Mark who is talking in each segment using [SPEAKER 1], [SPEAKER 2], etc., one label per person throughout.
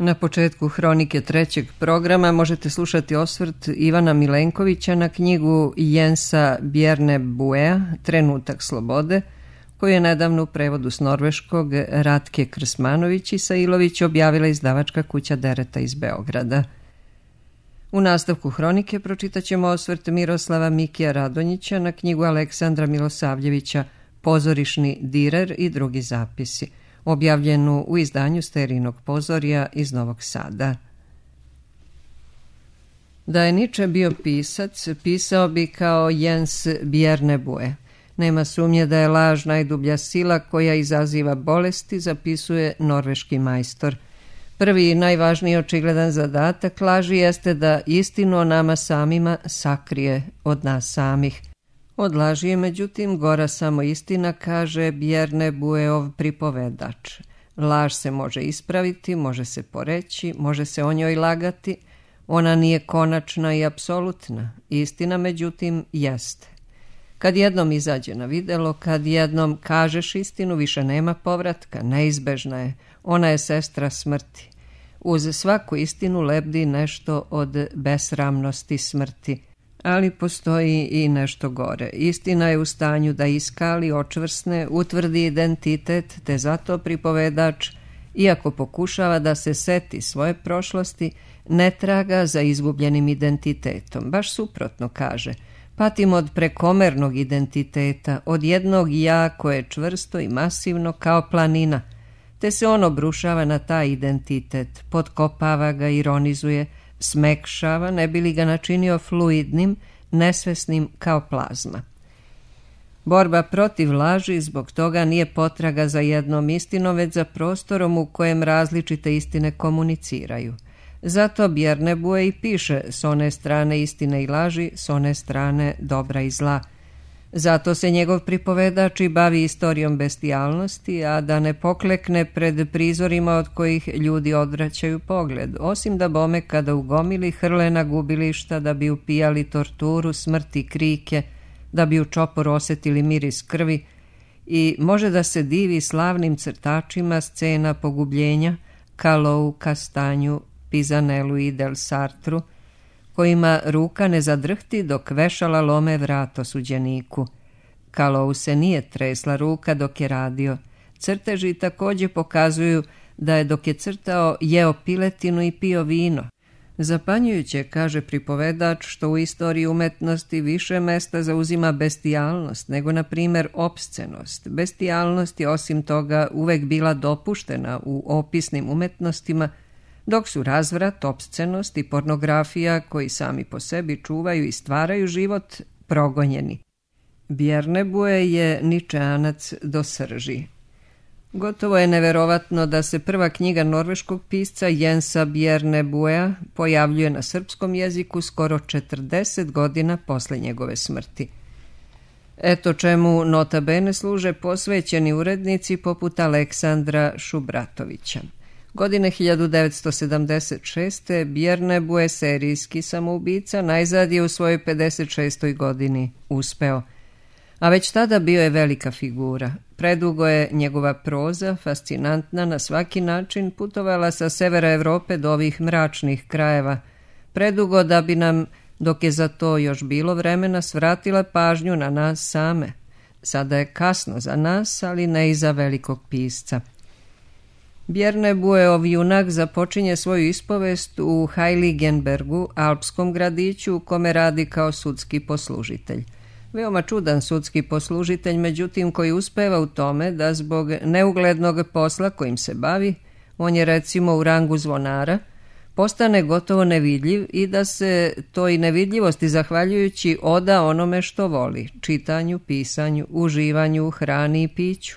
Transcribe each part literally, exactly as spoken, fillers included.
[SPEAKER 1] Na početku hronike trećeg programa možete slušati osvrt Ivana Milenkovića na knjigu Jensa Bjernebuea Trenutak slobode, koju je nedavno u prevodu s norveškog Ratke Krsmanović i Sailović objavila izdavačka kuća Dereta iz Beograda. U nastavku hronike pročitat ćemo osvrt Miroslava Mikija Radonjića na knjigu Aleksandra Milosavljevića Pozorišni direr i drugi zapisi, objavljenu u izdanju Sterinog pozorja iz Novog Sada. Da je Nietzsche bio pisac, pisao bi kao Jens Bjernebue. Nema sumnje da je laž najdublja sila koja izaziva bolesti, zapisuje norveški majstor. Prvi i najvažniji očigledan zadatak laži jeste da istinu o nama samima sakrije od nas samih. Od laži je međutim gora samo istina, kaže Bjernebueov pripovedač. Laž se može ispraviti, može se poreći, može se o njoj lagati. Ona nije konačna i apsolutna. Istina međutim jeste. Kad jednom izađe na videlo, kad jednom kažeš istinu, više nema povratka, neizbežna je. Ona je sestra smrti. Uz svaku istinu lebdi nešto od besramnosti smrti. Ali postoji i nešto gore. Istina je u stanju da iskali, očvrsne, utvrdi identitet, te zato pripovedač, iako pokušava da se seti svoje prošlosti, ne traga za izgubljenim identitetom. Baš suprotno kaže, patim od prekomernog identiteta, od jednog ja koje je čvrsto i masivno kao planina, te se on obrušava na taj identitet, potkopava ga, ironizuje, smekšava, ne bi li ga načinio fluidnim, nesvesnim kao plazma. Borba protiv laži zbog toga nije potraga za jednom istinom, već za prostorom u kojem različite istine komuniciraju. Zato Bjernebue i piše s one strane istine i laži, s one strane dobra i zla. Zato se njegov pripovedač i bavi istorijom bestijalnosti, a da ne poklekne pred prizorima od kojih ljudi odvraćaju pogled, osim da bome kada u gomili hrle na gubilišta da bi upijali torturu, smrti, krike, da bi u čoporu osjetili miris krvi, i može da se divi slavnim crtačima scena pogubljenja, Kalou, Kastanju, Pizanelu i Del Sartru, kojima ruka ne zadrhti dok vešala lome vrat osuđeniku. Kalou se nije tresla ruka dok je radio. Crteži također pokazuju da je dok je crtao jeo piletinu i pio vino. Zapanjujuće, kaže pripovedač, što u istoriji umetnosti više mesta zauzima bestijalnost nego, na primjer, opscenost. Bestijalnost je osim toga uvek bila dopuštena u opisnim umetnostima, dok su razvrat, opscenost i pornografija, koji sami po sebi čuvaju i stvaraju život, progonjeni. Bjernebue je ničeanac do srži. Gotovo je neverovatno da se prva knjiga norveškog pisca Jensa Bjernebuea pojavljuje na srpskom jeziku skoro četrdeset godina posle njegove smrti. Eto čemu nota bene služe posvećeni urednici poput Aleksandra Šubratovića. Godine hiljadu devetsto sedamdeset šeste. Bjernebue, serijski samoubica, najzad je u svojoj pedeset šestoj godini uspeo. A već tada bio je velika figura. Predugo je njegova proza, fascinantna na svaki način, putovala sa severa Evrope do ovih mračnih krajeva. Predugo da bi nam, dok je za to još bilo vremena, svratila pažnju na nas same. Sada je kasno za nas, ali ne i za velikog pisca. Bjernebueov junak započinje svoju ispovest u Heiligenbergu, alpskom gradiću u kome radi kao sudski poslužitelj. Veoma čudan sudski poslužitelj, međutim, koji uspeva u tome da zbog neuglednog posla kojim se bavi, on je recimo u rangu zvonara, postane gotovo nevidljiv i da se toj nevidljivosti zahvaljujući oda onome što voli, čitanju, pisanju, uživanju, hrani i piću.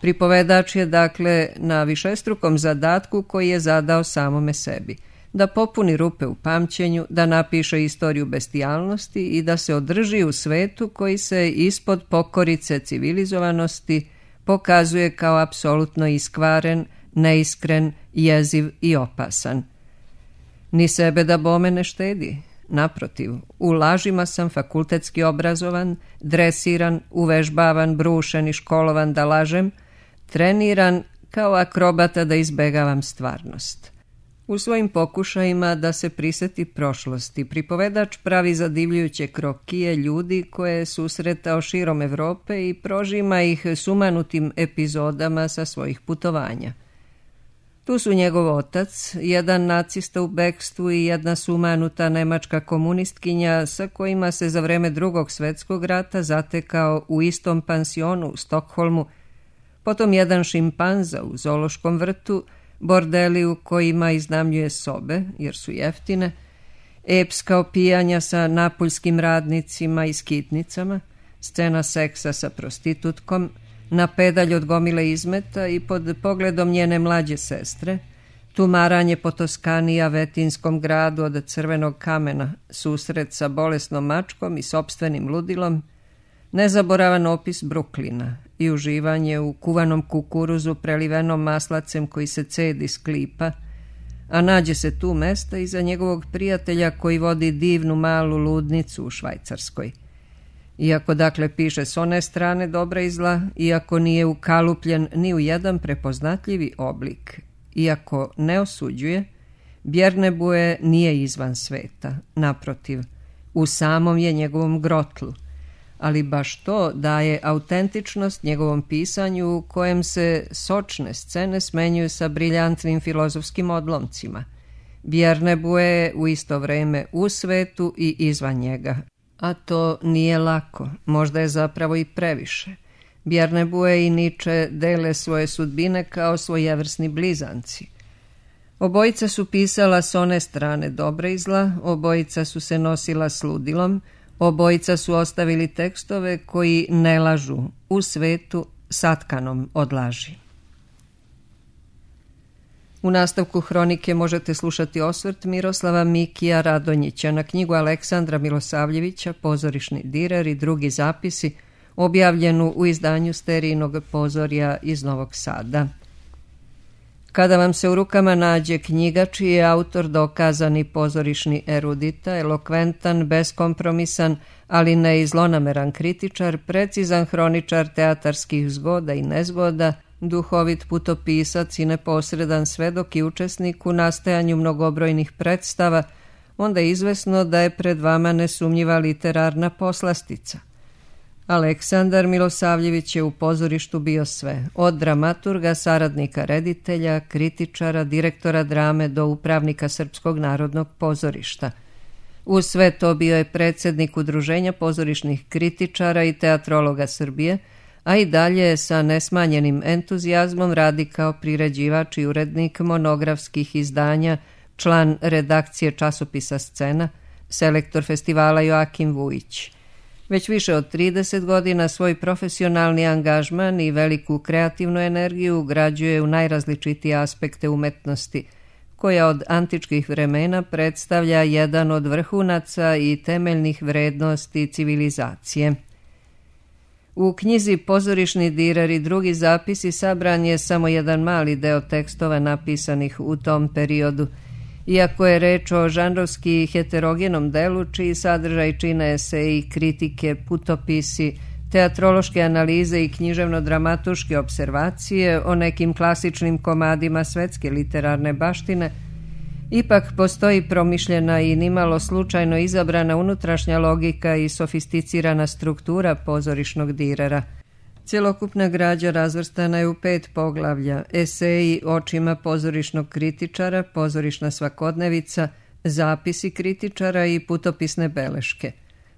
[SPEAKER 1] Pripovedač je dakle na višestrukom zadatku koji je zadao samome sebi, da popuni rupe u pamćenju, da napiše istoriju bestijalnosti i da se održi u svetu koji se ispod pokorice civilizovanosti pokazuje kao apsolutno iskvaren, neiskren, jeziv i opasan. Ni sebe da bome ne štedi. Naprotiv, u lažima sam fakultetski obrazovan, dresiran, uvežbavan, brušen i školovan da lažem, treniran kao akrobata da izbegavam stvarnost. U svojim pokušajima da se priseti prošlosti, pripovedač pravi zadivljujuće krokije ljudi koje je susretao širom Evrope i prožima ih sumanutim epizodama sa svojih putovanja. Tu su njegov otac, jedan nacista u bekstvu i jedna sumanuta nemačka komunistkinja sa kojima se za vreme Drugog svjetskog rata zatekao u istom pansionu u Stokholmu, potom jedan šimpanza u zoološkom vrtu, bordeli u kojima iznajmljuje sobe, jer su jeftine, epska opijanja sa napuljskim radnicima i skitnicama, scena seksa sa prostitutkom, na pedalj od gomile izmeta i pod pogledom njene mlađe sestre, tumaranje po Toskani i Avetinskom gradu od crvenog kamena, susret sa bolesnom mačkom i sopstvenim ludilom, nezaboravan opis Bruklina i uživanje u kuvanom kukuruzu prelivenom maslacem koji se cedi s klipa, a nađe se tu mesta iza njegovog prijatelja koji vodi divnu malu ludnicu u Švajcarskoj. Iako dakle piše s one strane dobra i zla, iako nije ukalupljen ni u jedan prepoznatljivi oblik, iako ne osuđuje, Bjernebue nije izvan sveta, naprotiv, u samom je njegovom grotlu, ali baš to daje autentičnost njegovom pisanju u kojem se sočne scene smenjuju sa briljantnim filozofskim odlomcima. Bjernebue je u isto vreme u svetu i izvan njega. A to nije lako, možda je zapravo i previše. Bjernebue i Nietzsche dele svoje sudbine kao svojevrsni blizanci. Obojica su pisala s one strane dobra i zla, obojica su se nosila s ludilom, obojica su ostavili tekstove koji ne lažu, u svetu satkanom od laži. U nastavku hronike možete slušati osvrt Miroslava Mikija Radonjića na knjigu Aleksandra Milosavljevića Pozorišni direr i drugi zapisi, objavljenu u izdanju Sterijinog pozorja iz Novog Sada. Kada vam se u rukama nađe knjiga čiji je autor dokazani pozorišni erudita, elokventan, beskompromisan, ali ne i zlonameran kritičar, precizan hroničar teatarskih zgoda i nezgoda, duhovit putopisac i neposredan svedok i učesnik u nastajanju mnogobrojnih predstava, onda je izvesno da je pred vama nesumnjiva literarna poslastica. Aleksandar Milosavljević je u pozorištu bio sve, od dramaturga, saradnika reditelja, kritičara, direktora drame do upravnika Srpskog narodnog pozorišta. Uz sve to bio je predsjednik Udruženja pozorišnih kritičara i teatrologa Srbije, a i dalje sa nesmanjenim entuzijazmom radi kao priređivač i urednik monografskih izdanja, član redakcije časopisa Scena, selektor festivala Joakim Vujić. Već više od trideset godina svoj profesionalni angažman i veliku kreativnu energiju ugrađuje u najrazličitije aspekte umetnosti, koja od antičkih vremena predstavlja jedan od vrhunaca i temeljnih vrednosti civilizacije. U knjizi Pozorišni direr i drugi zapisi sabran je samo jedan mali deo tekstova napisanih u tom periodu, iako je reč o žanrovski heterogenom delu čiji sadržaj čine eseji, kritike, putopisi, teatrološke analize i književno-dramatuške observacije o nekim klasičnim komadima svetske literarne baštine, ipak postoji promišljena i nimalo slučajno izabrana unutrašnja logika i sofisticirana struktura pozorišnog direra. Cjelokupna građa razvrstana je u pet poglavlja: eseji očima pozorišnog kritičara, pozorišna svakodnevica, zapisi kritičara i putopisne beleške.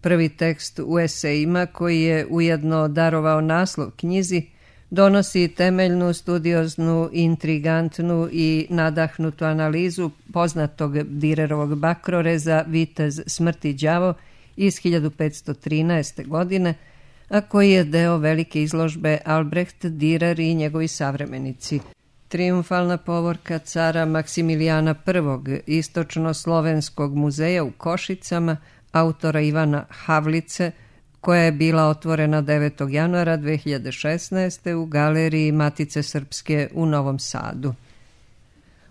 [SPEAKER 1] Prvi tekst u esejima, koji je ujedno darovao naslov knjizi, donosi temeljnu, studioznu, intrigantnu i nadahnutu analizu poznatog Direrovog bakroreza Vitez smrti đavo iz hiljadu petsto trinaeste. godine, a koji je deo velike izložbe Albrecht Dürer i njegovi savremenici. Triumfalna povorka cara Maksimilijana prvog. Istočno-slovenskog muzeja u Košicama, autora Ivana Havlice, koja je bila otvorena devetog januara dve hiljade šesnaeste. u galeriji Matice Srpske u Novom Sadu.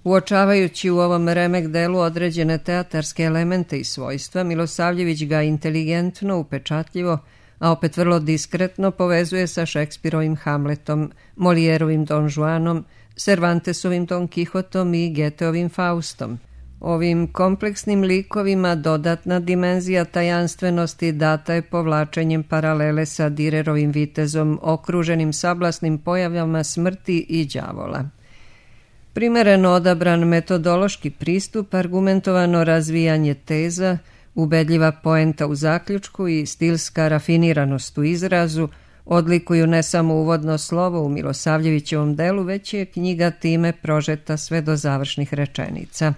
[SPEAKER 1] Uočavajući u ovom remek delu određene teatarske elemente i svojstva, Milosavljević ga inteligentno, upečatljivo, a opet vrlo diskretno povezuje sa Šekspirovim Hamletom, Molijerovim Don Juanom, Cervantesovim Don Kihotom i Goetheovim Faustom. Ovim kompleksnim likovima dodatna dimenzija tajanstvenosti data je povlačenjem paralele sa Dürerovim vitezom okruženim sablasnim pojavama smrti i đavola. Primereno odabran metodološki pristup, argumentovano razvijanje teza, ubedljiva poenta u zaključku i stilska rafiniranost u izrazu odlikuju ne samo uvodno slovo u Milosavljevićevom delu, već je knjiga time prožeta sve do završnih rečenica.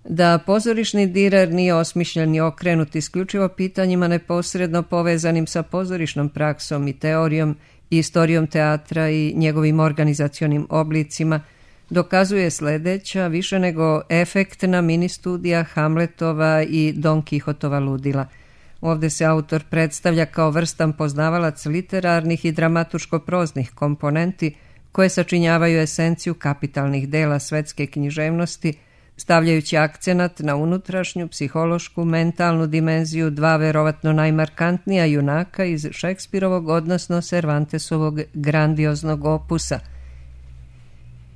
[SPEAKER 1] Da pozorišni Dürer nije osmišljen i okrenut isključivo pitanjima neposredno povezanim sa pozorišnom praksom i teorijom i istorijom teatra i njegovim organizacionim oblicima, dokazuje sledeća više nego efektna mini studija Hamletova i Don Kihotova ludila. Ovde se autor predstavlja kao vrstan poznavalac literarnih i dramaturško-proznih komponenti koje sačinjavaju esenciju kapitalnih dela svetske književnosti, stavljajući akcenat na unutrašnju, psihološku, mentalnu dimenziju dva verovatno najmarkantnija junaka iz Šekspirovog, odnosno Cervantesovog grandioznog opusa.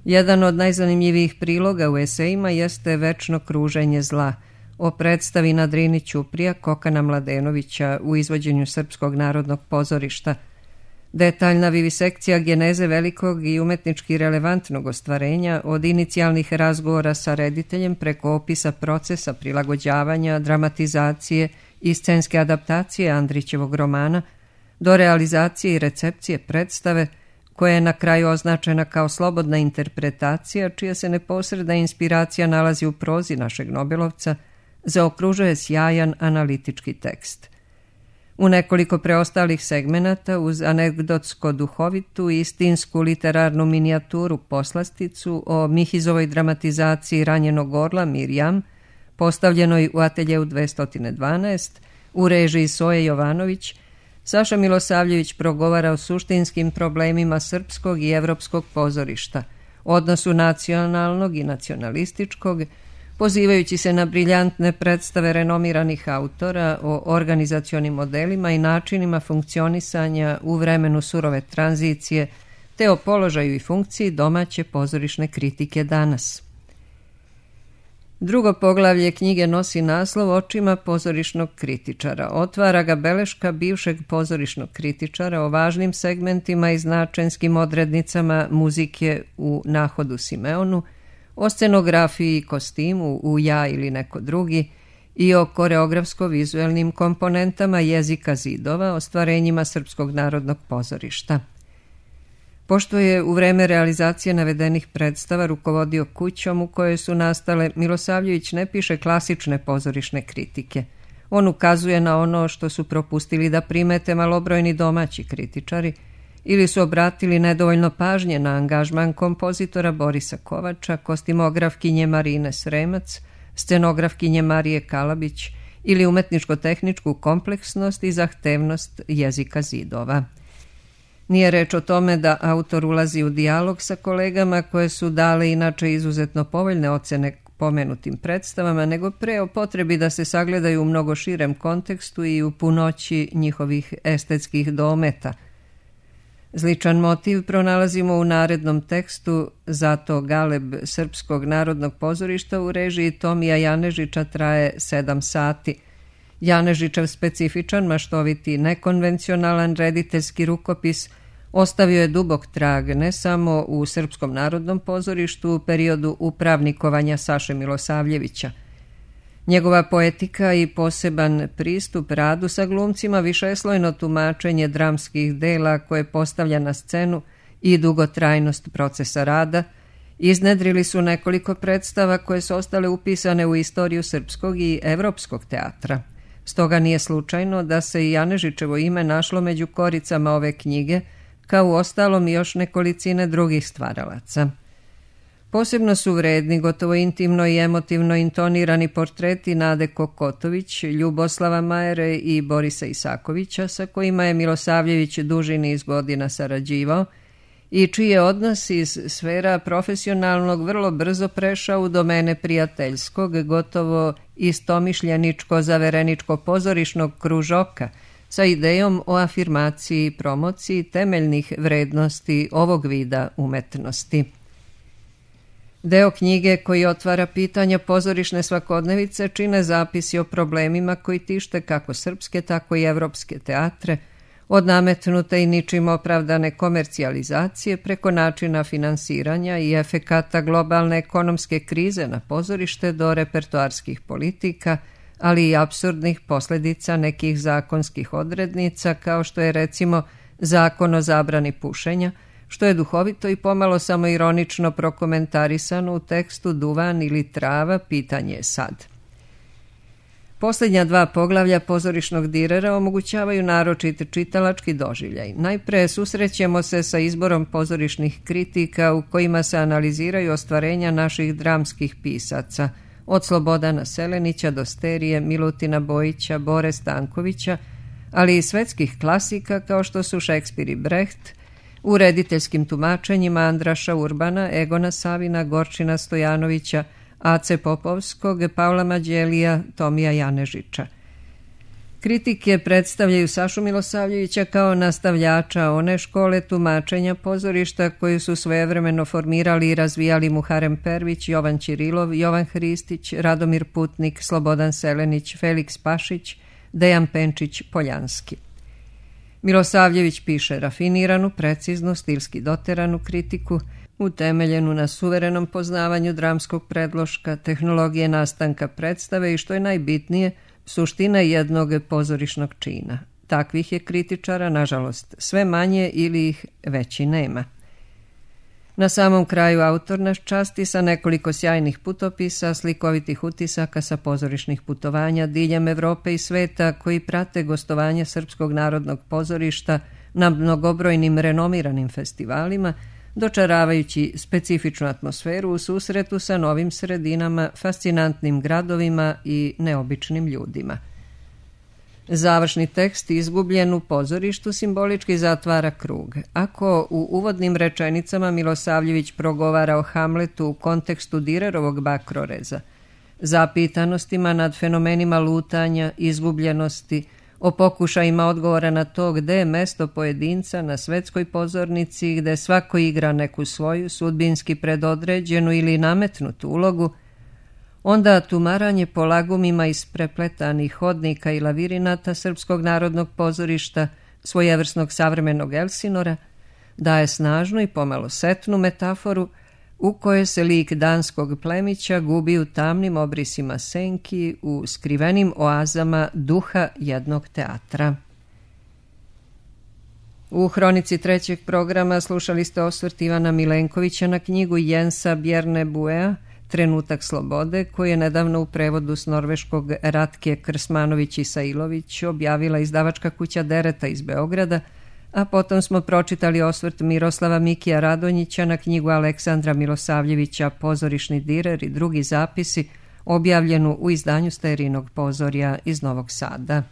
[SPEAKER 1] Jedan od najzanimljivijih priloga u esejima jeste Večno kruženje zla, o predstavi na Drini Ćuprija Kokana Mladenovića u izvođenju Srpskog narodnog pozorišta. Detaljna vivisekcija geneze velikog i umetnički relevantnog ostvarenja od inicijalnih razgovora sa rediteljem preko opisa procesa prilagođavanja, dramatizacije i scenske adaptacije Andrićevog romana do realizacije i recepcije predstave koja je na kraju označena kao slobodna interpretacija čija se neposredna inspiracija nalazi u prozi našeg Nobelovca, zaokružuje sjajan analitički tekst. U nekoliko preostalih segmenata uz anegdotsko-duhovitu i istinsku literarnu minijaturu poslasticu o Mihizovoj dramatizaciji Ranjenog orla Mirjam, postavljenoj u ateljeu dvesta dvanaest, u režiji Soje Jovanović, Saša Milosavljević progovara o suštinskim problemima srpskog i evropskog pozorišta, odnosu nacionalnog i nacionalističkog, pozivajući se na briljantne predstave renomiranih autora o organizacionim modelima i načinima funkcionisanja u vremenu surove tranzicije, te o položaju i funkciji domaće pozorišne kritike danas. Drugo poglavlje knjige nosi naslov Očima pozorišnog kritičara. Otvara ga beleška bivšeg pozorišnog kritičara o važnim segmentima i značajskim odrednicama muzike u Nahodu Simeonu, o scenografiji i kostimu u Ja ili neko drugi i o koreografsko-vizuelnim komponentama jezika zidova, ostvarenjima Srpskog narodnog pozorišta. Pošto je u vreme realizacije navedenih predstava rukovodio kućom u kojoj su nastale, Milosavljević ne piše klasične pozorišne kritike. On ukazuje na ono što su propustili da primete malobrojni domaći kritičari ili su obratili nedovoljno pažnje na angažman kompozitora Borisa Kovača, kostimografkinje Marine Sremac, scenografkinje Marije Kalabić ili umetničko-tehničku kompleksnost i zahtevnost jezika zidova. Nije reč o tome da autor ulazi u dijalog sa kolegama koje su dale inače izuzetno povoljne ocene pomenutim predstavama, nego pre o potrebi da se sagledaju u mnogo širem kontekstu i u punoći njihovih estetskih dometa. Sličan motiv pronalazimo u narednom tekstu Zato galeb Srpskog narodnog pozorišta u režiji Tomija Janežića traje sedam sati. Janežićev specifičan, maštoviti, nekonvencionalan rediteljski rukopis ostavio je dubok trag ne samo u Srpskom narodnom pozorištu u periodu upravnikovanja Saše Milosavljevića. Njegova poetika i poseban pristup radu sa glumcima, višeslojno tumačenje dramskih dela koje postavlja na scenu i dugotrajnost procesa rada iznedrili su nekoliko predstava koje su ostale upisane u istoriju srpskog i evropskog teatra. Stoga nije slučajno da se i Janežićevo ime našlo među koricama ove knjige, kao u ostalom i još nekolicine drugih stvaralaca. Posebno su vredni, gotovo intimno i emotivno intonirani portreti Nade Kokotović, Ljuboslava Majere i Borisa Isakovića, sa kojima je Milosavljević duži niz godina sarađivao i čiji je odnos iz sfera profesionalnog vrlo brzo prešao u domene prijateljskog, gotovo istomišljeničko-zavereničko pozorišnog kružoka, sa idejom o afirmaciji i promociji temeljnih vrednosti ovog vida umetnosti. Deo knjige koji otvara pitanja pozorišne svakodnevice čine zapisi o problemima koji tište kako srpske, tako i evropske teatre, od nametnute i ničim opravdane komercijalizacije preko načina finansiranja i efekata globalne ekonomske krize na pozorište do repertoarskih politika, ali i apsurdnih posljedica nekih zakonskih odrednica kao što je recimo zakon o zabrani pušenja, što je duhovito i pomalo samo ironično prokomentarisano u tekstu Duvan ili trava, pitanje je sad. Posljednja dva poglavlja pozorišnog direra omogućavaju naročit čitalački doživljaj. Najpre susrećemo se sa izborom pozorišnih kritika u kojima se analiziraju ostvarenja naših dramskih pisaca, od Slobodana Selenića do Sterije, Milutina Bojića, Bore Stankovića, ali i svetskih klasika kao što su Šekspir i Brecht, u rediteljskim tumačenjima Andraša Urbana, Egona Savina, Gorčina Stojanovića, Ace Popovskog, Pavla Mađelija, Tomija Janežića. Kritike predstavljaju Sašu Milosavljevića kao nastavljača one škole tumačenja pozorišta koju su svojevremeno formirali i razvijali Muharem Pervić, Jovan Ćirilov, Jovan Hristić, Radomir Putnik, Slobodan Selenić, Feliks Pašić, Dejan Penčić, Poljanski. Milosavljević piše rafiniranu, preciznu, stilski doteranu kritiku, utemeljenu na suverenom poznavanju dramskog predloška, tehnologije nastanka predstave i, što je najbitnije, suština jednog pozorišnog čina. Takvih je kritičara, nažalost, sve manje ili ih već i nema. Na samom kraju autor nas časti sa nekoliko sjajnih putopisa, slikovitih utisaka sa pozorišnih putovanja diljem Evrope i sveta koji prate gostovanje Srpskog narodnog pozorišta na mnogobrojnim renomiranim festivalima, dočaravajući specifičnu atmosferu u susretu sa novim sredinama, fascinantnim gradovima i neobičnim ljudima. Završni tekst izgubljen u pozorištu simbolički zatvara krug. Ako u uvodnim rečenicama Milosavljević progovara o Hamletu u kontekstu Direrovog Bakroreza, zapitanostima nad fenomenima lutanja, izgubljenosti, o pokušajima odgovora na to gde je mesto pojedinca na svetskoj pozornici, gde svako igra neku svoju sudbinski predodređenu ili nametnutu ulogu, onda tumaranje po lagumima isprepletanih hodnika i lavirinata Srpskog narodnog pozorišta, svojevrsnog savremenog Elsinora, daje snažnu i pomalo setnu metaforu u kojoj se lik danskog plemića gubi u tamnim obrisima senki, u skrivenim oazama duha jednog teatra. U hronici trećeg programa slušali ste osvrt Ivana Milenkovića na knjigu Jensa Bjerne Buea Trenutak slobode, koji je nedavno u prevodu s norveškog Ratke Krsmanović-Isailović objavila izdavačka kuća Dereta iz Beograda, a potom smo pročitali osvrt Miroslava Mikija Radonjića na knjigu Aleksandra Milosavljevića Pozorišni direr i drugi zapisi, objavljenu u izdanju Sterinog pozorja iz Novog Sada.